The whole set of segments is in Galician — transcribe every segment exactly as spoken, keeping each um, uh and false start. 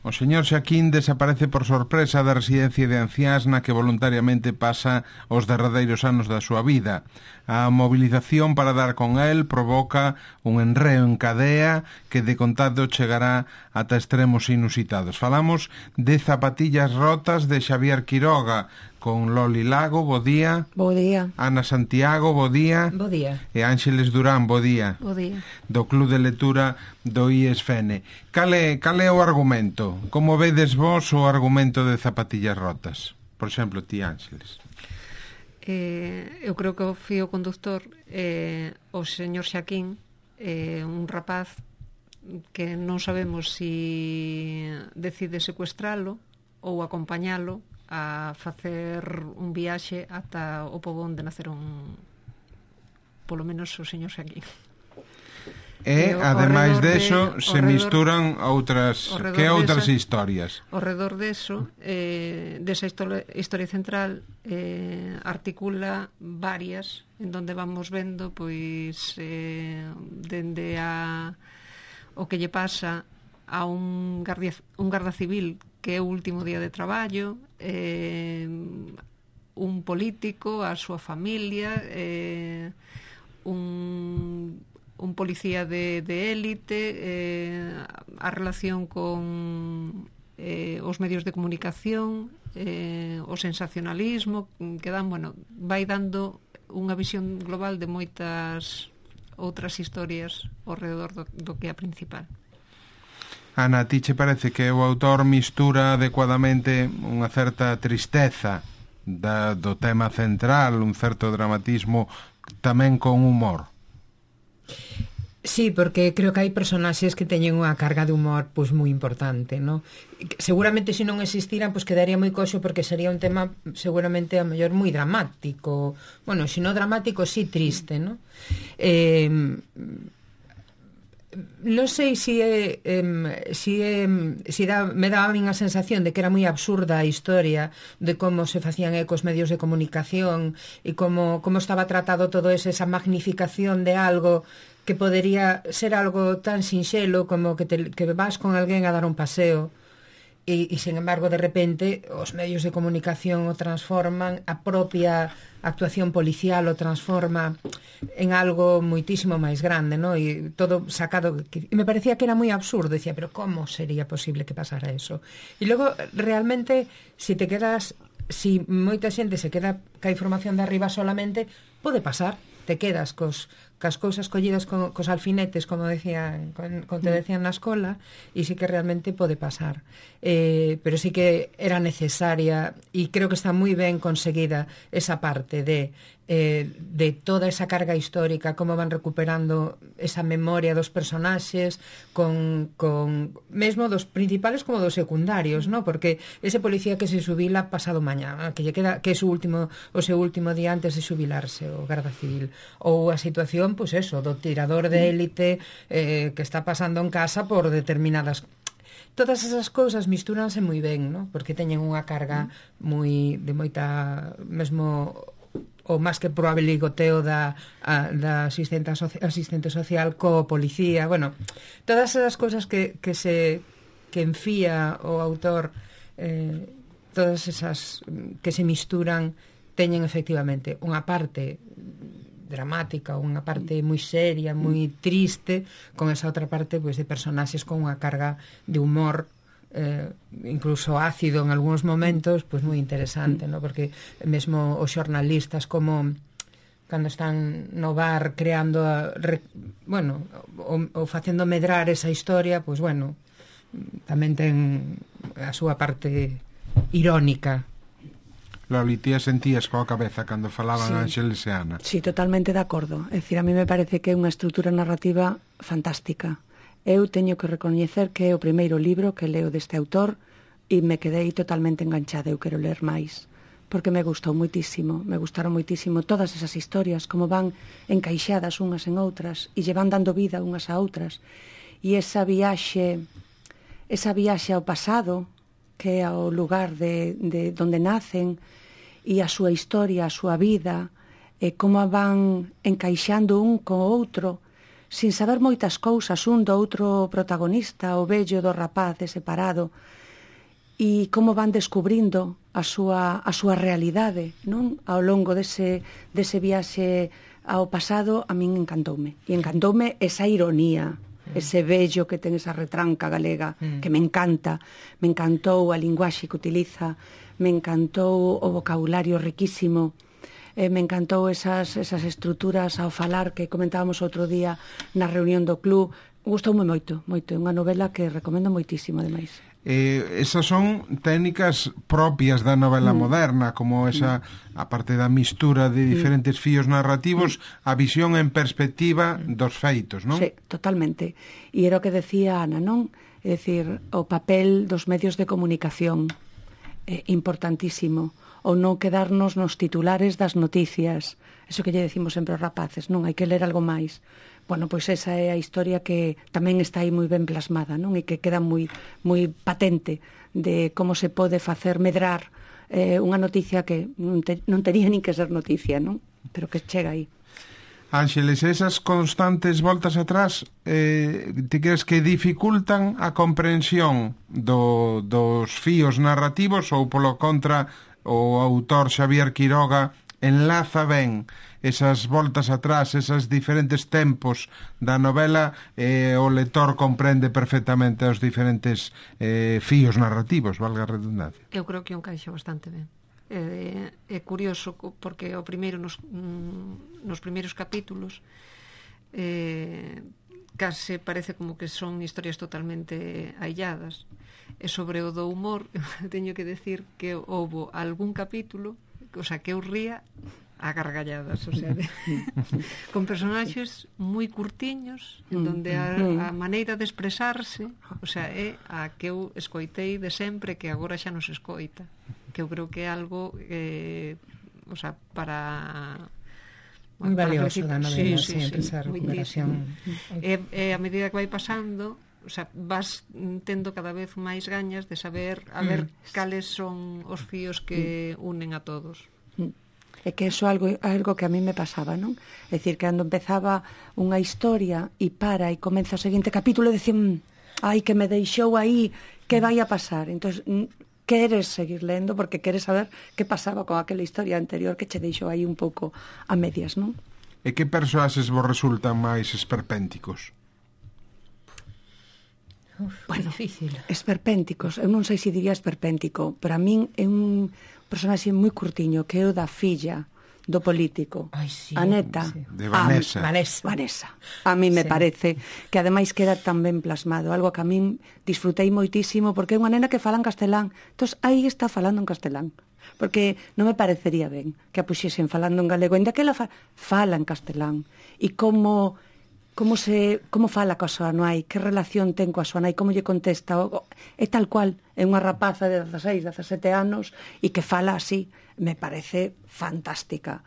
O señor Xaquín desaparece por sorpresa da residencia de anciáns na que voluntariamente pasa os derradeiros anos da súa vida. A movilización para dar con el provoca un enreo en cadea que de contado chegará ata extremos inusitados. Falamos de Zapatillas rotas de Xavier Quiroga, con Loli Lago, bo día. Bo día. Ana Santiago, bo día. Bo día. E Ángeles Durán, bo día. Bo día. Do Club de Lectura do I E S F N. Cal é, cal é o argumento? Como vedes vos o argumento de Zapatillas rotas? Por exemplo, ti, Ángeles. Eh, eu creo que o fío conductor é eh, o señor Xaquín, eh, un rapaz que non sabemos si decide secuestralo ou acompañalo a facer un viaxe ata o pobo onde naceron polo menos o señor Xaquín. E, ademais deso, de, se redor, misturan outras que outras desa, historias. Ao redor deso, eh, desa historia, historia central eh, articula varias en donde vamos vendo pois eh, dende a o que lle pasa a un guardia, un garda civil que é o último día de traballo, eh, un político, a súa familia, eh, un un policía de, de élite, eh, a relación con eh, os medios de comunicación, eh, o sensacionalismo, que dan, bueno, vai dando unha visión global de moitas outras historias ao redor do, do que é a principal. Ana, a ti che parece que o autor mistura adecuadamente unha certa tristeza da, do tema central, un certo dramatismo tamén con humor? Sí, porque creo que hai personaxes que teñen unha carga de humor pois moi importante, ¿no? Seguramente se non existiran pois quedaría moi coxo porque sería un tema seguramente a mellor moi dramático. Bueno, se non dramático, sí triste, ¿no? Eh, non sei se é, eh, se é, se dá, me daba a min a sensación de que era moi absurda a historia de como se facían ecos medios de comunicación e como, como estaba tratado todo eso, esa magnificación de algo que podería ser algo tan sinxelo como que, te, que vas con alguén a dar un paseo e, e sin embargo de repente os medios de comunicación o transforman, a propia actuación policial o transforma en algo moitísimo máis grande, ¿no? E todo sacado, que, e me parecía que era moi absurdo, decía, pero como sería posible que pasara eso? E logo realmente si te quedas, si moita xente se queda ca información de arriba solamente, pode pasar, te quedas cos cas cousas collidas co, cos alfinetes, como decían, con, como te decían na escola, e sí que realmente pode pasar. Eh, pero sí que era necesaria, e creo que está moi ben conseguida esa parte de eh, de toda esa carga histórica, como van recuperando esa memoria dos personaxes, con, con mesmo dos principales como dos secundarios, ¿no? Porque ese policía que se xubila pasado mañá, que lle queda, que é o último, o seu último día antes de xubilarse, o garda civil, ou a situación, pois pues eso, do tirador de élite eh, que está pasando en casa por determinadas... Todas esas cousas mistúranse moi ben, ¿no? Porque teñen unha carga moi de moita, mesmo o máis que probable ligoteo da, a, da asistente, asistente social co policía, bueno, todas esas cousas que, que se que enfía o autor, eh, todas esas que se misturan, teñen efectivamente unha parte dramática, unha parte moi seria, moi triste, con esa outra parte pois, de personaxes con unha carga de humor, eh, incluso ácido en algúns momentos, pois moi interesante, ¿no? Porque mesmo os xornalistas como cando están no bar creando a, re, bueno, o, o facendo medrar esa historia, pois bueno, tamén ten a súa parte irónica. Loli, ti sentías coa cabeza cando falaban sí. Ángeles e Ana? Sí, totalmente de acordo. É dicir, a mí me parece que é unha estrutura narrativa fantástica. Eu teño que recoñecer que é o primeiro libro que leo deste autor e me quedei totalmente enganchada. Eu quero ler máis, porque me gustou moitísimo. Me gustaron moitísimo todas esas historias, como van encaixadas unhas en outras e lle van dando vida unhas a outras. E esa viaxe, esa viaxe ao pasado, que é ao lugar de, de donde nacen, e a súa historia, a súa vida, e como van encaixando un co outro, sin saber moitas cousas, un do outro protagonista, o vello do rapaz separado, e como van descubrindo a súa, a súa realidade, non? Ao longo dese, dese viaxe ao pasado, a min encantoume. E encantoume esa ironía, ese vello que ten esa retranca galega, que me encanta. Me encantou a linguaxe que utiliza, me encantou o vocabulario riquísimo, eh, me encantou esas, esas estruturas ao falar que comentábamos outro día na reunión do club. Gustoume moito, moito. É unha novela que recomendo moitísimo, ademais. Eh, esas son técnicas propias da novela mm. moderna, como esa, a parte da mistura de diferentes mm. fíos narrativos, mm. a visión en perspectiva dos feitos, non? Sí, totalmente. E era o que decía Ana, non? É dicir, o papel dos medios de comunicación é importantísimo, ou non quedarnos nos titulares das noticias. Eso que lle decimos sempre aos rapaces, non? Hai que ler algo máis. Bueno, pois esa é a historia que tamén está aí moi ben plasmada, non? E que queda moi moi patente de como se pode facer medrar eh, unha noticia que non, te, non tería nin que ser noticia, non? Pero que chega aí. Ángeles, esas constantes voltas atrás, eh, ti crees que dificultan a comprensión do, dos fíos narrativos, ou polo contra o autor Xavier Quiroga enlaza ben esas voltas atrás, esas diferentes tempos da novela, e eh, o lector comprende perfectamente os diferentes eh, fíos narrativos, valga a redundancia? Eu creo que un caixa bastante ben. É, é curioso porque o primeiro nos, nos primeiros capítulos eh, case parece como que son historias totalmente ailladas, e sobre o do humor teño que decir que houbo algún capítulo, o sea, que eu ría a gargalladas, o sea, de, con personaxes moi curtiños, en donde a, a maneira de expresarse, o sea, é a que eu escoitei de sempre, que agora xa non se escoita, que eu creo que é algo eh, o sea, para moi valioso da novela, sí, sí, sempre sí, esa recuperación. E, e a medida que vai pasando, o sea, vas tendo cada vez máis gañas de saber a ver mm. cales son os fíos que unen a todos. É que iso é algo, algo que a mí me pasaba, non? É dicir, que cando empezaba unha historia e para e comeza o seguinte capítulo, decían, ai, que me deixou aí, que vai a pasar? Entón, queres seguir lendo porque queres saber que pasaba con aquela historia anterior que che deixou aí un pouco a medias, non? E que personaxes vos resultan máis esperpénticos? Uf, bueno, difícil. Esperpénticos, eu non sei se diría esperpéntico, pero a min é un personaxe moi curtiño, que é o da filla do político. Ai, sí, a neta. Sí. De Vanessa. A, Vanessa. Vanessa. A mí me sí. parece que ademais queda tan ben plasmado, algo que a min disfrutei moitísimo, porque é unha nena que fala en castelán. Entón, aí está falando en castelán. Porque non me parecería ben que a puxesen falando en galego, ainda que ela fa, fala en castelán. E como... como se como fala coa súa nai, que relación ten coa súa nai, como lle contesta, o, é tal cual, é unha rapaza de dezaseis, dezasete anos e que fala así, me parece fantástica.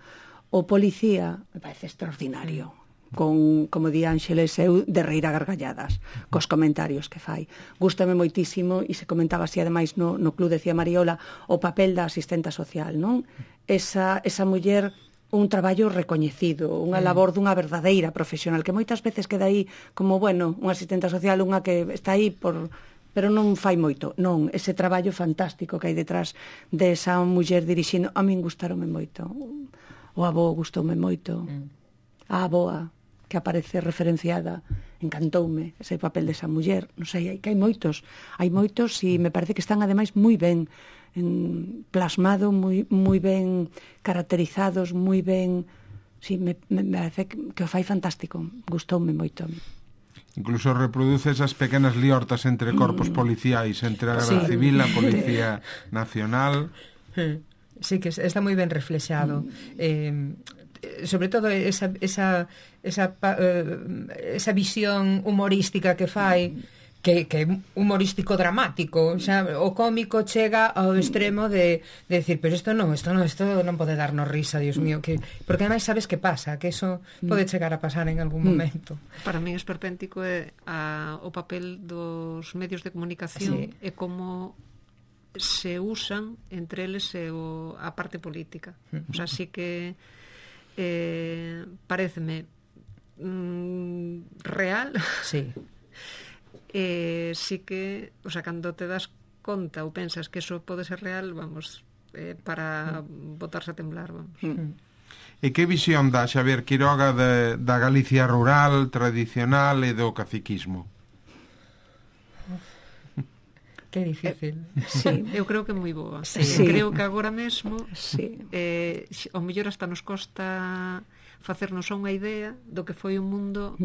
O policía me parece extraordinario, con, como di Ángeles, eu de reír a gargalladas cos comentarios que fai. Gústame moitísimo, e se comentaba así ademais no, no club, decía Mariola, o papel da asistenta social, non? Esa, esa muller, un traballo recoñecido, unha labor dunha verdadeira profesional, que moitas veces queda aí como, bueno, unha asistenta social, unha que está aí por... pero non fai moito. Non, ese traballo fantástico que hai detrás desa muller dirixindo, a min gustaronme moito. O avó gustoume moito. A avoa, que aparece referenciada, encantoume ese papel desa muller. Non sei, hai que hai moitos. Hai moitos e me parece que están ademais moi ben en, plasmado, moi, moi ben caracterizados, moi ben... Sí, me, me parece que, que o fai fantástico. Gustoume moito. Incluso reproduce esas pequenas liortas entre corpos policiais, entre a Garda Sí. Civil, a Policía Nacional. Sí, que está moi ben reflexado. Eh, sobre todo esa, esa, esa, eh, esa visión humorística que fai, que, que é humorístico dramático, xa, o cómico chega ao extremo de, de decir, pero isto non, isto non, isto non pode darnos risa, Dios mío, que, porque ademais sabes que pasa, que eso pode chegar a pasar en algún momento. Para min esperpéntico é a, o papel dos medios de comunicación, Sí. e como se usan entre eles e o, a parte política. O sea, sí que eh, pareceme mm, real. Sí. eh, sí que, o sea, cando te das conta ou pensas que eso pode ser real, vamos, eh, para mm. botarse a temblar, vamos. Mm. E que visión dá Xavier Quiroga de, da Galicia rural, tradicional e do caciquismo? Que difícil. Eh, sí, eu creo que é moi boa. Sí. Sí. Creo que agora mesmo sí. eh, o mellor hasta nos costa facernos unha idea do que foi o mundo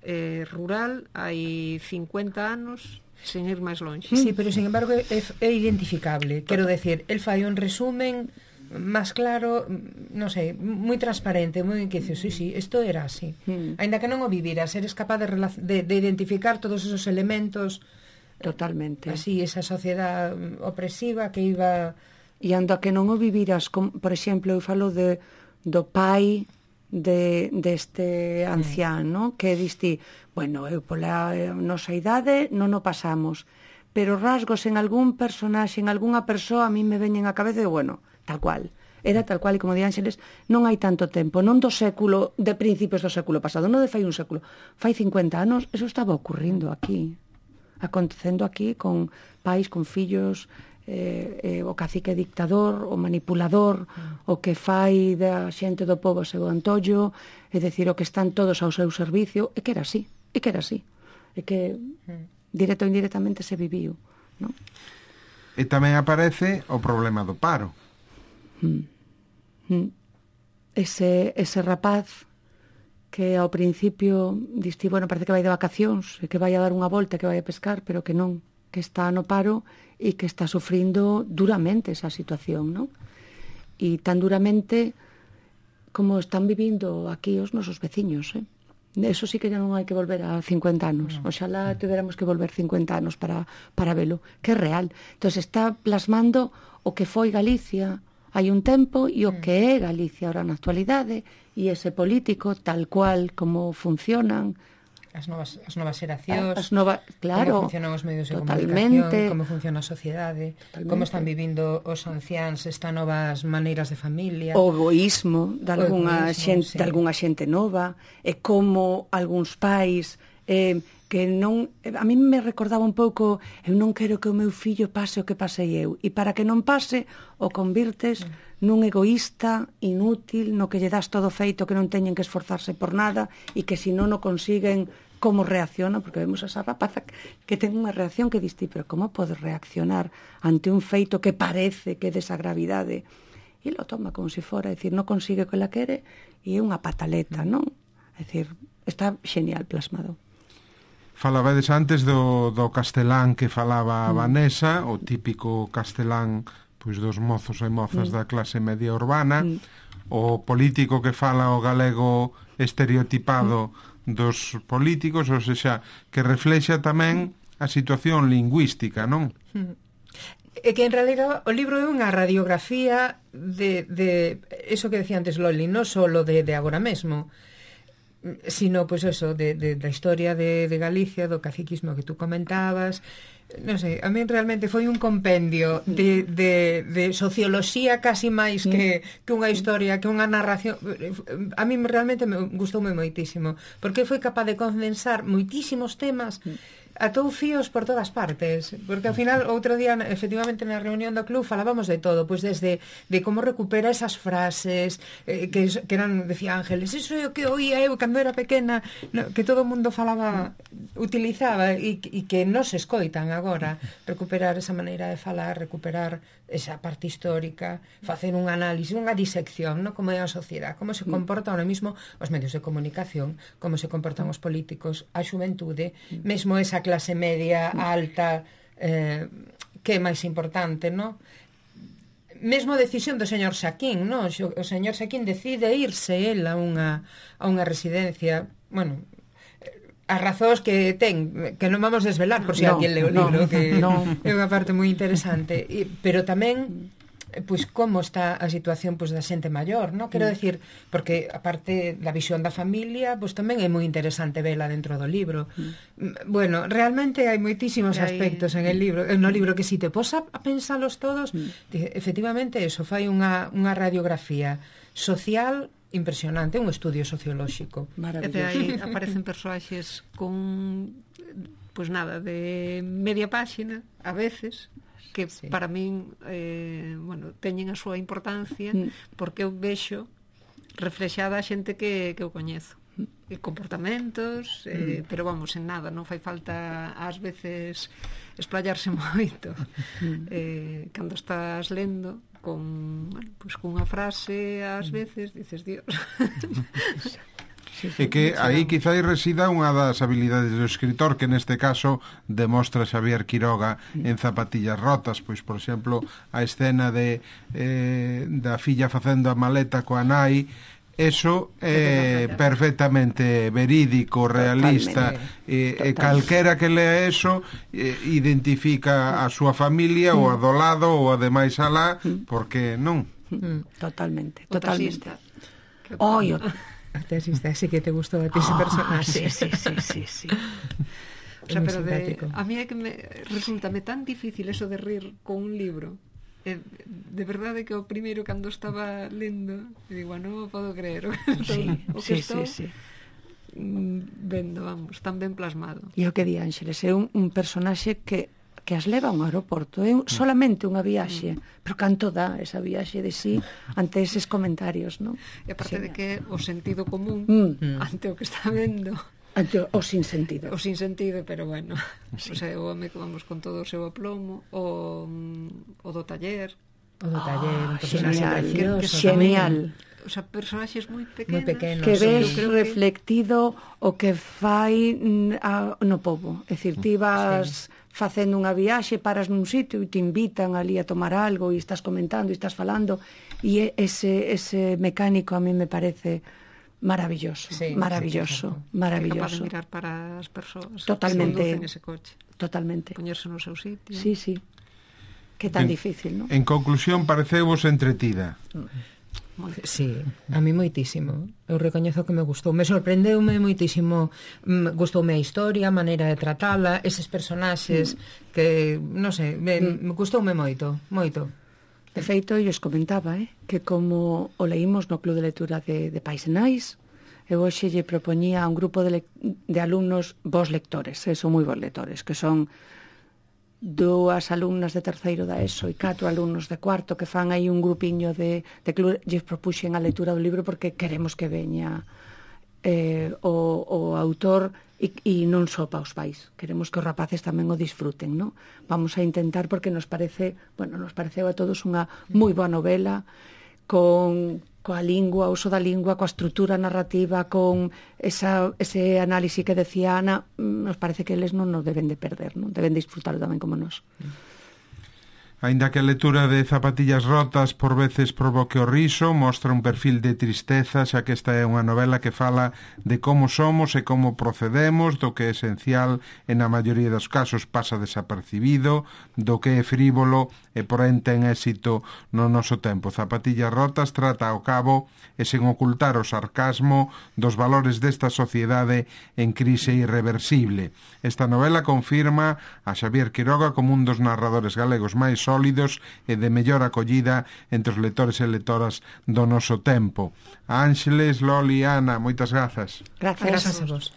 eh, rural hai cincuenta anos sen ir máis longe. Sí, pero sin embargo é, é identificable. Quero decir, el fai un resumen máis claro, non sei, moi transparente, moi que dices, sí, sí, isto era así. Mm. Ainda que non o viviras, eres capaz de, de, de identificar todos esos elementos. Totalmente. Así, esa sociedade opresiva que iba... E ando a que non o viviras, com, por exemplo, eu falo de, do pai de, deste ancián, mm. no? Que diste, bueno, eu pola nosa idade non o pasamos, pero rasgos en algún personaxe, en algunha persoa, a mí me veñen a cabeza e, bueno, tal cual. Era tal cual, e como di Ángeles, non hai tanto tempo, non do século, de principios do século pasado, non de fai un século, fai cincuenta anos, eso estaba ocurrindo aquí, acontecendo aquí con pais, con fillos, eh, eh, o cacique dictador, o manipulador, mm. o que fai da xente do pobo seu antollo, é dicir, o que están todos ao seu servicio, é que era así, é que era así, é que mm. directo ou indirectamente se viviu, non? E tamén aparece o problema do paro. Mm. Mm. Ese, ese rapaz que ao principio diste, bueno, parece que vai de vacacións, que vai a dar unha volta, que vai a pescar, pero que non, que está no paro e que está sufrindo duramente esa situación, non? E tan duramente como están vivindo aquí os nosos veciños, eh? Eso sí que ya non hai que volver a cincuenta anos. No. Oxalá tuviéramos que volver cincuenta anos para, para velo, que é real. Entón está plasmando o que foi Galicia hai un tempo e o que é Galicia ahora na actualidade, e ese político tal cual como funcionan as novas, as novas xeracións, as novas, claro, como funcionan os medios de totalmente, comunicación, como funciona a sociedade, totalmente. Como están vivindo os anciáns estas novas maneiras de familia, o egoísmo de algunha xente, sí. de algunha xente nova, e como algúns pais eh, que non, a mí me recordaba un pouco, eu non quero que o meu fillo pase o que pasei eu, e para que non pase o convirtes mm. nun egoísta inútil, no que lle das todo feito, que non teñen que esforzarse por nada, e que se non o consiguen, como reacciona, porque vemos esa rapaza que ten unha reacción que diste, pero como podes reaccionar ante un feito que parece que é desa gravidade? E lo toma como se fora, é dicir, non consigue o que la quere, e é unha pataleta, non? É dicir, está genial plasmado. Falabades antes do, do castelán que falaba mm. Vanessa, o típico castelán pois dos mozos e mozas mm. da clase media urbana, mm. o político que fala o galego estereotipado mm. dos políticos, ou seja, que reflexa tamén a situación lingüística, non? Mm. É que en realidad o libro é unha radiografía de, de eso que decía antes Loli, non só de, de agora mesmo, sino, pois pues eso, de, de, da historia de, de Galicia, do caciquismo que tú comentabas. Non sei, a mí realmente foi un compendio de, de, de socioloxía casi máis que, que unha historia, que unha narración. A mí realmente me gustoume moitísimo, porque foi capaz de condensar moitísimos temas, atou fíos por todas partes, porque ao final outro día efectivamente na reunión do club falábamos de todo, pois desde de como recupera esas frases eh, que, que eran, decía Ángeles, eso é o que oía eu cando era pequena, no, que todo o mundo falaba, utilizaba e, e que non se escoitan agora, recuperar esa maneira de falar, recuperar esa parte histórica, facer un análisis, unha disección, ¿no? Como é a sociedade, como se comporta ahora mismo os medios de comunicación, como se comportan os políticos, a xuventude, mesmo esa clase media alta, eh, que é máis importante, ¿no? Mesmo a decisión do señor Xaquín, ¿no? O señor Xaquín decide irse el a unha, a unha residencia, bueno, as razóns que ten, que non vamos desvelar por si no, alguén leu o libro, no, que no. É unha parte moi interesante, e, pero tamén pois como está a situación pois da xente maior, ¿no? Quero decir, porque aparte da visión da familia, pois tamén é moi interesante vela dentro do libro. Mm. Bueno, realmente hai moitísimos hai... aspectos en el libro, no libro que si te pos a pensalos todos, mm. efectivamente eso, fai unha, unha radiografía social impresionante, un estudio sociolóxico. E de aí aparecen persoaxes con, pois nada, de media páxina, a veces, que sí. para min, eh, bueno, teñen a súa importancia, porque eu vexo reflexada a xente que, que eu coñezo. E comportamentos, eh, pero vamos, en nada, non fai falta ás veces esplayarse moito. Eh, cando estás lendo con, bueno, pues cunha frase ás veces dices, Dios. E que aí quizá resida unha das habilidades do escritor, que neste caso demostra Xavier Quiroga en Zapatillas rotas, pois por exemplo a escena de eh, da filla facendo a maleta coa nai. Eso é eh, perfectamente verídico, realista, e eh, eh, calquera que lea eso eh, identifica a súa familia, mm. ou a do lado, ou a demais alá, porque non. Mm. Totalmente, totalmente. Oi, o taxista, así que te gustou a ti ese personaxe. Sí, sí, sí, sí, sí. O sea, pero de, a mí é que me resulta tan difícil eso de rir con un libro. Eh, de verdade que o primeiro cando estaba lendo digo, non podo creer o que estou, sí, o que sí, estou sí, sí. vendo, vamos, tan ben plasmado. E o que di Ángeles, é un, un personaxe que que as leva a un aeroporto, é un, solamente unha viaxe, mm. pero canto dá esa viaxe de sí ante eses comentarios, non? E aparte sí. de que o sentido común mm. ante o que está vendo, ante o sin sentido. O sin sentido, pero bueno, sí. O sea, o home que vamos con todo o seu aplomo, o, o do taller, o do taller, oh, genial, precioso, genial. O sea, personaxes moi pequenos, moi pequenos, que ves sí. reflectido o que fai a, no pobo. É dicir, ti vas sí. facendo unha viaxe, paras nun sitio e te invitan ali a tomar algo e estás comentando e estás falando, e ese, ese mecánico a mí me parece maravilloso, sí, maravilloso, sí, maravilloso. É capaz de mirar para as persoas totalmente, que conducen ese coche. Totalmente. Poñerse no seu sitio. Sí, sí. Que tan en, difícil, ¿no? En conclusión, pareceu-vos entretida. Moito. Sí, a mí moitísimo. Eu recoñezo que me gustou. Me sorprendeume moitísimo. Gustoume a historia, a maneira de tratala, eses personaxes mm. que, non sei, me, mm. me gustoume moito, moito. De feito, eu os comentaba, eh, que como o leímos no Club de Lectura de, de Pais e Nais, eu hoxe lle propoñía a un grupo de, le, de alumnos vos lectores, eh, son moi vos lectores, que son dúas alumnas de terceiro da ESO e catro alumnos de cuarto que fan aí un grupiño de, de club, lles propuxen a lectura do libro porque queremos que veña eh, o, o autor e, e non só pa os pais, queremos que os rapaces tamén o disfruten, ¿no? Vamos a intentar porque nos parece, bueno, nos pareceu a todos unha moi boa novela con coa lingua, o uso da lingua, coa estrutura narrativa, con esa, ese análise que decía Ana, nos parece que eles non nos deben de perder, non deben disfrutar tamén como nós. Aínda que a lectura de Zapatillas rotas por veces provoque o riso, mostra un perfil de tristeza, xa que esta é unha novela que fala de como somos e como procedemos, do que é esencial e na maioría dos casos pasa desapercibido, do que é frívolo e porén ten éxito no noso tempo. Zapatillas rotas trata ao cabo e sen ocultar o sarcasmo dos valores desta sociedade en crise irreversible. Esta novela confirma a Xavier Quiroga como un dos narradores galegos máis sólidos e de mellor acollida entre os lectores e lectoras do noso tempo. A Ángeles, Loli, Ana, moitas grazas. Gracias, gracias a vos.